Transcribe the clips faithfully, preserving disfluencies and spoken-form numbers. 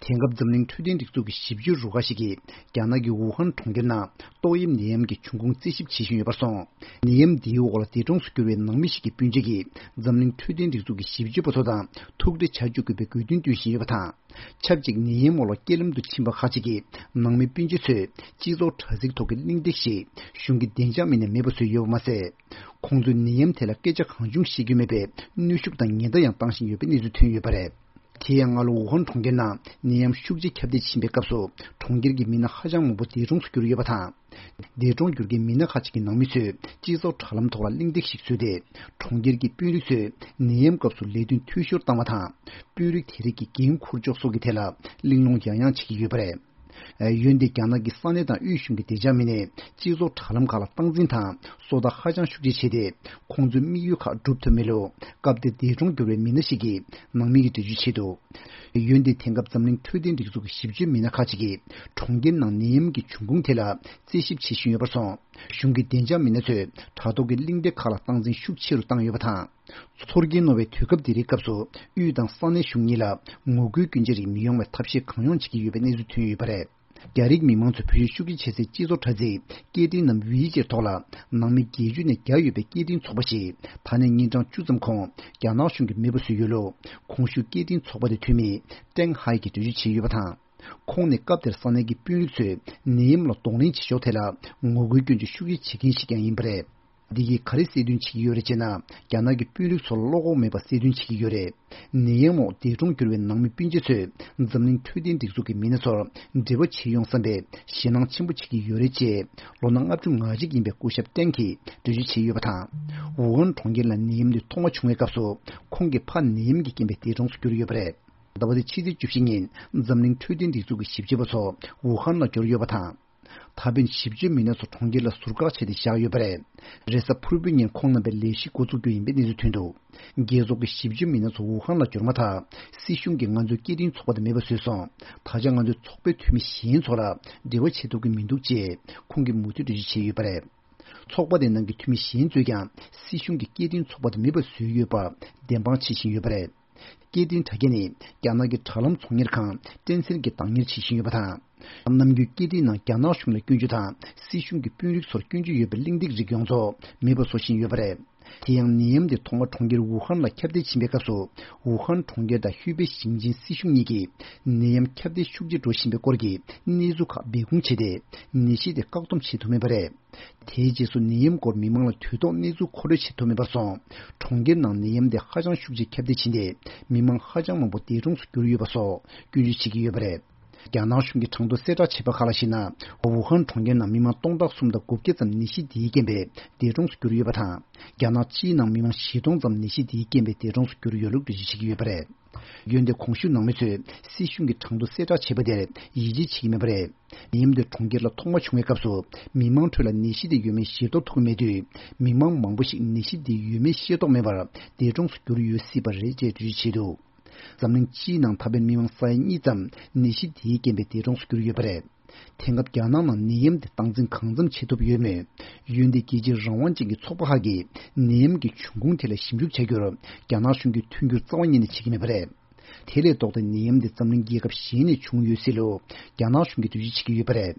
དེང་སྐབས་འཛམ་གླིང་འཕྲོད་བསྟེན་སྒྲིག་འཛུགས་ཀྱི་ཞིབ་དཔྱོད་རུ་ཁག་ཞིག་གིས་རྒྱ་ནག་གི་ཝུ་ཧན་གྲོང་ཁྱེར་ནང་ཏོག་དབྱིབས་ནད་ཡམས་ཀྱི་འབྱུང་ཁུངས་རྩད་ཞིབ་བྱེད་བཞིན་ཡོད་པར་སོང་། ནད་ཡམས་འདིའི་འོག་ལ་འདས་གྲོངས་སུ་གྱུར་བའི་ནང་མི་ཞིག་གི་སྤུན་མཆེད་ཀྱིས་འཛམ་གླིང་འཕྲོད་བསྟེན་སྒྲིག་འཛུགས་ཀྱི་ཞིབ་དཔྱོད་པ་ཚོ་དང་ཐུག་འཕྲད་བྱ་བཅུག་དགོས་པའི་དགོས་འདུན་བཏོན་བཞིན་ཡོད་པ་དང་། ཆབས་ཅིག་ནད་ཡམས་འོག་ལ་རྐྱེན་ལམ་དུ་ཕྱིན་པ་ཁག་ཅིག་གི་ནང་མི་སྤུན་མཆེད་ཚོས་སྤྱི་ཚོགས་དྲ་ཚིགས་ཐོག་གི་གླེང་སྟེགས་ཤིག་གཞུང་གི་བདེ་འཇགས་མི་སྣས་མེད་པ་བཟོས་ཡོད་པ་མ་ཟད། ཁོང་ཚོས་ནད་ཡམས་ཐད་ལ་སྐད་ཆ་གང་བྱུང་བཤད་རྒྱུ་མེད་པའི་གནོན་ཤུགས་དང་ཉེན་བརྡ་ཡང་བཏང་བཞིན་ཡོད་པའི་གནས་ཚུལ་ཐོན་ཡོད་པ་རེད། དེ་ཡང་སྔ་ལོ་ཝུ་ཧན་གྲོང་ཁྱེར་ནང་ནད་ཡམས་ཤུགས་ཆེ་ཁྱབ་གདལ་ཕྱིན་པའི་སྐབས་སུ་གྲོང་ཁྱེར་གྱི་མི་སྣ་ཧ་ཅང་མང་པོ་འདས་གྲོངས་སུ་གྱུར་ཡོད་པ་དང་། འདས་གྲོངས་གྱུར་མཁན་མི་སྣ་ཁག་ཅིག་གི་ནང་མི་ཚོས་སྤྱི་ཚོགས་དྲ་ལམ་ཐོག་ལ་གླེང་སྟེགས་ཤིག་བཟོས་ཏེ། གྲོང་ཁྱེར་གྱི་དཔོན་རིགས་ཚོས་ནད་ཡམས་སྐབས་སུ་ལས་དོན་འཐུས་ཤོར་བཏང་བ་དང་། དཔོན་རིགས་དེ་རིགས་ཀྱི་འགན་འཁུར་ཕྱོགས་སོགས་ཀྱི་ཐད་ལ་གླེང་སློང་ཡང་ཡང་བྱེད་ཀྱི་ཡོད་པ་རེད། འོན་ཏེ་རྒྱ་ནག་གི་ས་གནས་དང་དབུས་གཞུང་གི་བདེ་འཇགས་མི་སྣས་སྤྱི་ཚོགས་དྲ་ལམ་ཁག་ལ་སྟངས་འཛིན་དང་སོ་ལྟ་ཧ་ཅང་ཤུགས་ཆེ་བྱས་ཏེ། ཁོང་ཚོའི་དམིགས་ཡུལ་ཁག་འགྲུབ་ཐུབ་མེད་ལུགས་སྐབས་དེར་འདས་གྲོངས་གྱུར་བའི་མི་སྣ་ཞིག་གིས་ནང་མི་གི་འགྲེལ་བརྗོད་བྱས་འདུག་འོན་ཏེ་དེང་སྐབས་འཛམ་གླིང་འཕྲོད་བསྟེན་སྒྲིག་འཛུགས་ཀྱི་ཞིབ་དཔྱོད་མི་སྣ་ཁག་ཅིག་གིས་གྲོང་ཁྱེར་ནང་ནད་ཡམས་ཀྱི་འབྱུང་ཁུངས་ཐད་ལ་རྩད་ཞིབ་བྱེད་བཞིན་ཡོད་པར་སོང་། གཞུང་གི་བདེ་འཇགས་མི་སྣ་ཚོས་དྲ་ཐོག་གི་གླེང་སྟེགས་ཁག་ལ་སྟངས་འཛིན་ཤུགས་ཆེ་རུ་བཏང་ཡོད་པ་དང་། ཚོར་སྐྱེན་རྣོ་བའི་དུས་སྐབས་འདི་རིགས་སྐབས་སུ་དབུས་དང་ས་གནས་གཞུང་གཉིས་ལ་ངོ་རྒོལ་སྐྱོན་ཅན་རིགས་མི་ཡོང་བའི་ཐབས་ཤེས་གང་ཡོང་བྱེད་ཀྱི་ཡོད་པའི་གནས་ཚུལ་ཐོན་ཡོད་པ་རེད། རྒྱ་རིགས་མི་མང་ཚོས་བེད་སྤྱོད་ཤུགས་ཆེ་བྱེད་སའི་སྤྱི་ཚོགས་དྲ་ཚིགས་སྐད་འཕྲིན་ནམ་ཝི་ཅེར་ཐོག་ལ་ནང་མི་བརྒྱད་ཅུ་ནས་བརྒྱ་ཡོད་པའི་སྐད་འཕྲིན་ཚོགས་པ་ཞིག་ད་ནས་ཉིན་གྲངས་བཅུ་ཙམ་གོང་རྒྱ་ནག་གཞུང་གིས་མེད་པ་བཟོས་ཡོད་ལུགས་གོང་ཞུས་སྐད་འཕྲིན་ཚོགས་པ་དེའི་འཐུས་མི་ཀྲེང་ཧའེ་གིས་འགྲེལ་བརྗོད་བྱས་ཡོད་པ་དང་། ཁོང་ནི་སྐབས་དེར་ས་གནས་ཀྱི་དཔོན་རིགས་ཚོས་ནད་ཡམས་ལ་གདོང་ལེན་བྱེད་ཕྱོགས་ཐད་ལ་ངོ་རྒོལ་སྐྱོན་བརྗོད་ཤུགས་ཆེ་བྱེད་མཁན་ཞིག་ཀྱང་ཡིན་པ་རེད། འདི་གིས་ག་རེ་གསལ་སྟོན་བྱེད་ཀྱི་ཡོད་རེད་ཅེ་ན། རྒྱ་ནག་གི་དཔོན་རིགས་ཚོར་བློ་ཁོག་མེད་པ་གསལ་སྟོན་བྱེད་ཀྱི་ཡོད་རེད། ནད་ཡམས་འོག་འདས་གྲོངས་གྱུར་བའི་ནང་མི་སྤུན་མཆེད་ཚོས་འཛམ་གླིང་འཕྲོད་བསྟེན་སྒྲིག་འཛུགས་ཀྱི་མི་སྣ་ཚོར་འབྲེལ་བ་བྱེད་ཡོང་བསམ་པའི་ཞེད་སྣང་ཆེན་པོ་བྱེད་ཀྱི་ཡོད་རེད་ཅེས་ལོ་ན་ལྔ་བཅུ་ང་གཅིག་ཡིན་པའི་སྐུ་ཞབས་ཀྲེང་གིས་འགྲེལ་བརྗོད་བྱས་ཡོད་པ་དང་། ཝུ་ཧན་གྲོང་ཁྱེར་ལ་ནད་ཡམས་འདི་ཐོག་མ་བྱུང་བའི་སྐབས་སུ་ཁོང་གི་ཕ་ནད་ཡམས་ཀྱི་རྐྱེན་པས་འདས་གྲོངས་སུ་གྱུར་ཡོད་པ་རེད། ཟླ་བ་འདིའི་ཕྱི་ཚེས་བཅུ་བཞི་ཉིན་འཛམ་གླིང་འཕྲོད་བསྟེན་སྒྲིག་འཛུགས་ཀྱི་ཞིབ་དཔྱོད་པ་ཚོ་ཝུ་ཧན་ལ་འབྱོར་ཡོད་པ་དང་། ད་ཕན་ཞིབ་དཔྱོད་མི་སྣ་ཚོ་གྲོང་ཁྱེར་ལ་ཟུར་བཀག་བྱས་ཏེ་བཞག་ཡོད་པ་རེད། རེས་གཟའ་ཕུར་བུའི་ཉིན་ཁོང་རྣམ་པའི་ལས་གཞི་འགོ་འཛུགས་རྒྱུ་ཡིན་པའི་གནས་ཚུལ་ཐོན་འདུག་རྒྱལ་ཚོགས་ཀྱི་ཞིབ་དཔྱོད་མི་སྣ་ཚོ་ཝུ་ཧན་ལ་འབྱོར་མ་ཐག་སྲིད་གཞུང་གིས་ང་ཚོའི་སྐད་འཕྲིན་ཚོགས་པ་དེ་མེད་པ་བཟོས་སོང་། ད་ཆ་ང་ཚོའི་ཚོགས་པའི་འཐུས་མི་གཞན་ཚོ་ལ་འབྲེལ་བ་བྱེད་ཐུབ་ཀྱི་མི་འདུག་ཅེས་ཁོང་གིས་མུ་མཐུད་འགྲེལ་བརྗོད་བྱས་ཡོད་པ་རེད། ཚོགས་པ་དེའི་ནང་གི་འཐུས་མི་གཞན་ཚོས་ཀྱང་སྲིད་གཞུང་གིས་སྐད་འཕྲིན་ཚོགས་པ་དེ་མེད་པ་བཟོས་ཡོད་པར་བདེན་དཔང་བྱེད་བཞིན་ཡོད་པ་རེད། སྐད་འཕྲིན་དྲ་རྒྱ་ནི་རྒྱ་ནག་གི་དྲ་ལམ་ཚོང་གཉེར་ཁང་ཊེན་སེན་གྱིས་བདག་གཉེར་བྱེད་བཞིན་ཡོད་པ་དང་། ནམ་རྒྱུན་སྐད་འཕྲིན་ནང་རྒྱ་ནག་གཞུང་ལ་སྐྱོན་བརྗོད་དང་སྲིད་གཞུང་གི་དཔོན་རིགས་ཚོར་སྐྱོན་བརྗོད་ཡོད་པའི་གླེང་སྟེགས་རིགས་ཡོངས་རྫོགས་མེད་པ་བཟོ་བཞིན་ཡོད་པ་རེད། དེ་ཡང་ནད་ཡམས་དེ་ཐོག་མ་གྲོང་ཁྱེར་ཝུ་ཧན་ལ་ཁྱབ་གདལ་ཕྱིན་པའི་སྐབས་སུ་ཝུ་ཧན་གྲོང་ཁྱེར་དང་ཧུའུ་པེ་ཞིང་ཆེན་སྲིད་གཞུང་གཉིས་ཀྱིས་ནད་ཡམས་ཁྱབ་གདལ་ཤུགས་ཆེ་འགྲོ་བཞིན་པའི་སྐོར་གྱི་གནས་ཚུལ་ཁག་སྦས་སྐུང་བྱས་ཏེ་ནད་གཞི་དེ་བཀག་སྡོམ་བྱེད་ཐུབ་མེད་པ་རེད། དེའི་རྗེས་སུ་ནད་ཡམས་སྐོར་མི་མང་ལ་དུས་ཐོག་གནས་ཚུལ་མཁོ་སྤྲོད་བྱེད་ཐུབ་མེད་པར་སོང་། གྲོང་ཁྱེར་ནང་ནད་ཡམས་དེ་ཧ་ཅང་ཤུགས་ཆེ་ཁྱབ་གདལ་ཕྱིན་ཏེ་མི་མང་ཧ་ཅང་མང་པོ་འདས་གྲོངས་སུ་གྱུར་ཡོད་པ་སོགས་སྐྱོན་བརྗོད་བྱེད་ཀྱི་ཡོད་པ་རེད། རྒྱ་ནག་གཞུང་གིས་གྲངས་ཐོ་གསལ་བསྒྲགས་བྱས་པ་ཁག་ལ་གཞིགས་ན། ཝུ་ཧན་གྲོང་ཁྱེར་ནང་མི་མང་སྟོང་ཕྲག་གསུམ་དང་དགུ་བརྒྱ་ཙམ་ནད་གཞི་འདིའི་རྐྱེན་པས་འདས་གྲོངས་སུ་གྱུར་ཡོད་པ་དང་། རྒྱ་ནག་སྤྱིའི་ནང་མི་མང་བཞི་སྟོང་ཙམ་ནད་གཞི་འདིའི་རྐྱེན་པས་འདས་གྲོངས་སུ་གྱུར་ཡོད་ལུགས་འགྲེལ་བརྗོད་བྱེད་ཀྱི་ཡོད་པ་རེད། འོན་ཏེ་གོང་ཞུས་ནང་མི་ཚོས་སྲིད་གཞུང་གིས་གྲངས་ཐོ་གསལ་བསྒྲགས་བྱས་པ་དེར་ཡིད་ཆེས་བྱེད་ཀྱི་མེད་པ་རེད། ནད་ཡམས་དེ་གྲོང་ཁྱེར་ལ་ཐོག་མ་བྱུང་བའི་སྐབས་སུ་མི་མང་ཁྲོད་ལ་ནད་གཞི་དེ་ཡོད་མེད་ཤེས་རྟོགས་ཐུབ་ཀྱི་མེད་དུས། མི་མང་མང་པོ་ཞིག་ནད་གཞི་དེ་ཡོད་མེད་ཤེས་རྟོགས་མེད་པར་འདས་གྲོངས་སུ་གྱུར་ཡོད་སྲིད་པ་རེད་ཅེས་འགྲེལ་བརྗོད་བྱས་འདུག་འཛམ་གླིང་སྤྱིའི་ནང་ད་ཕན་མི་མང་ས་ཡ་གཉིས་ཙམ་ནད་གཞི་དེའི་རྐྱེན་པས་འདས་གྲོངས་སུ་གྱུར་ཡོད་པ་རེད། དེང་སྐབས་རྒྱ་ནག་ནང་ནད་ཡམས་དེ་སྟངས་འཛིན་གང་འཚམ་བྱེད་ཐུབ་ཡོད་མོད། འོན་ཏེ་རྒྱལ་སྤྱིའི་རང་དབང་ཅན་གྱི་ཚོགས་པ་ཁག་གིས་ནད་ཡམས་ཀྱི་འབྱུང་ཁུངས་ཐད་ལ་ཞིབ་འཇུག་བྱ་རྒྱུར་རྒྱ་ནག་གཞུང་གིས་མཐུན་འགྱུར་རྩ་བ་ཉིད་ནས་བྱེད་ཀྱི་མེད་པ་རེད། དེ་ལས་ལྡོག་སྟེ་ནད་ཡམས་འདི་འཛམ་གླིང་རྒྱལ་ཁབ་གཞན་ནས་བྱུང་ཡོད་སྲིད་ལུགས་རྒྱ་ནག་གཞུང་གིས་འགྲེལ་བརྗོད་བྱེད་ཀྱི་ཡོད་པ་རེད།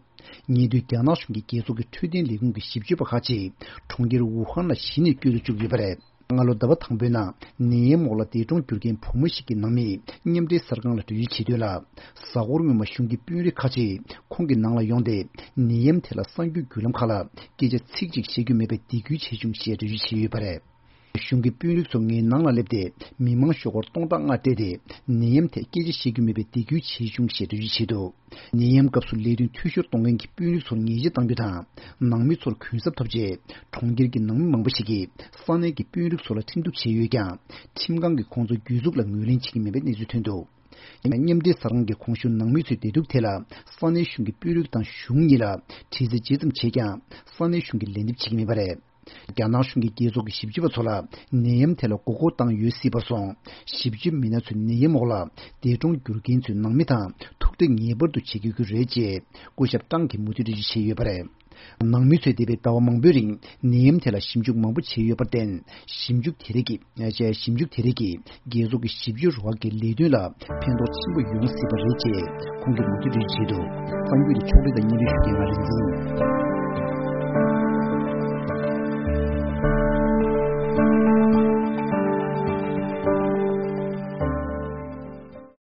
ཉེ་དུས་རྒྱ་ནག་གཞུང་གིས་རྒྱལ་ཚོགས་ཀྱི་འཕྲོད་བསྟེན་ལས་ཁུངས་ཀྱི་ཞིབ་དཔྱོད་པ་ཁག་ཅིག་གྲོང་ཁྱེར་ཝུ་ཧན་ལ་གཞི་ནས་བསྐྱོད་དུ་བཅུག་ཡོད་པ་རེད། སྔ་ལོ་ཟླ་བ་དང་པོའི་ནང་ནད་ཡམས་འོག་ལ་འདས་གྲོངས་གྱུར་མཁན་བུ་མོ་ཞིག་གི་ནང་མིས་མཉམ་འབྲེལ་གསར་ཁང་ལ་འགྲེལ་བརྗོད་བྱེད་དོན་ལ། གཟའ་འཁོར་སྔོན་མ་གཞུང་གི་དཔོན་རིགས་ཁག་ཅིག་ཁོང་གི་ནང་ལ་ཡོང་སྟེ་ནད་ཡམས་ཐད་ལ་གསར་འགྱུར་བརྒྱུད་ལམ་ཁག་ལ་སྐད་ཆ་ཚིག་གཅིག་བཤད་རྒྱུ་མེད་པའི་སྡིགས་སྐུལ་བྱས་བྱུང་ཞེས་འགྲེལ་བརྗོད་བྱས་ཡོད་པ་རེད། གཞུང་གི་དཔོན་རིགས་ཚོ་ངའི་ནང་ལ་སླེབས་ཏེ་མི་མང་ཤོག་སྒོར་སྟོང་ཕྲག་ལྔ་སྤྲད་དེ་ནད་ཡམས་ཐད་སྐད་ཆ་བཤད་རྒྱུ་མེད་པའི་སྡིགས་སྐུལ་བྱས་བྱུང་ཞེས་འགྲེལ་བརྗོད་བྱས་འདུག་ནད་ཡམས་སྐབས་སུ་ལས་དོན་འཐུས་ཤོར་གཏོང་མཁན་གྱི་དཔོན་རིགས་ཚོར་ཉེས་ཆད་གཏང་རྒྱུ་དང་། ནང་མི་ཚོར་གུན་གསབ་ཐོབ་རྗེས་གྲོང་ཁྱེར་གྱི་ནང་མི་མང་པོ་ཞིག་གིས་ས་གནས་ཀྱི་དཔོན་རིགས་ཚོ་ལ་ཁྲིམས་གཏུག་བྱས་ཡོད་ཀྱང་། ཁྲིམས་ཁང་གིས་ཁོང་ཚོའི་གྱོད་འཛུགས་ལ་ངོས་ལེན་བྱེད་ཀྱི་མེད་པའི་གནས་ཚུལ་ཐོན་འདུག་མཉམ་འབྲེལ་གསར་ཁང་གི་གོང་ཞུས་ནང་མི་ཚོའི་བདེ་སྡུག་ཐད་ལ་ས་གནས་གཞུང་གི་དཔོན་རིགས་དང་གཞུང་གཉིས་ལ་དྲི་རྩད་ཇི་ཙམ་བྱས་ཀྱང་ས་གནས་གཞུང་གིས་ལན་འདེབས་བྱེད་ཀྱི་མེད་པ་རེད། རྒྱ་ནག་གཞུང་གིས་རྒྱལ་ཚོགས་ཀྱི་ཞིབ་དཔྱོད་པ་ཚོ་ལ་ནད་ཡམས་ཐད་ལ་མགོ་སྐོར་བཏང་ཡོད་སྲིད་པར་སོང་། ཞིབ་དཔྱོད་མི་སྣ་ཚོས་ནད་ཡམས་འོག་ལ་འདས་གྲོངས་གྱུར་མཁན་ཚོའི་ནང་མི་དང་ཐུག་འཕྲད་ངེས་པར་དུ་བྱེད་དགོས་ཀྱི་རེད་ཅེས་སྐུ་ཞབས་ཀྲང་གིས་མུ་མཐུད་འགྲེལ་བརྗོད་བྱས་ཡོད་པ་རེད། ནང་མི་ཚོས་འདས་པའི་ཟླ་བ་མང་པོའི་རིང་ནད་ཡམས་ཐད་ལ་ཞིབ་འཇུག་མང་པོ་བྱས་ཡོད་པར་བརྟེན། ཞིབ་འཇུག་དེ་རིགས་ཀྱིས་ཞིབ་འཇུག་དེ་རིགས་ཀྱིས་རྒྱལ་ཚོགས་ཀྱི་ཞིབ་དཔྱོད་རུ་ཁག་གི་ལས་དོན་ལ་ཕན་ཐོགས་ཆེན་པོ་ཡོང་སྲིད་པ་རེད་ཅེས་ཁོང་གིས་ལོ་རྒྱུས་འདིའི་ཆེད་དུ་གསར་འགྱུར་གྱི་ཕྱོགས་སྒྲིག་དང་སྙན་སྒྲོན་ཞུ་མཁན་ང་རིག་འཛིན།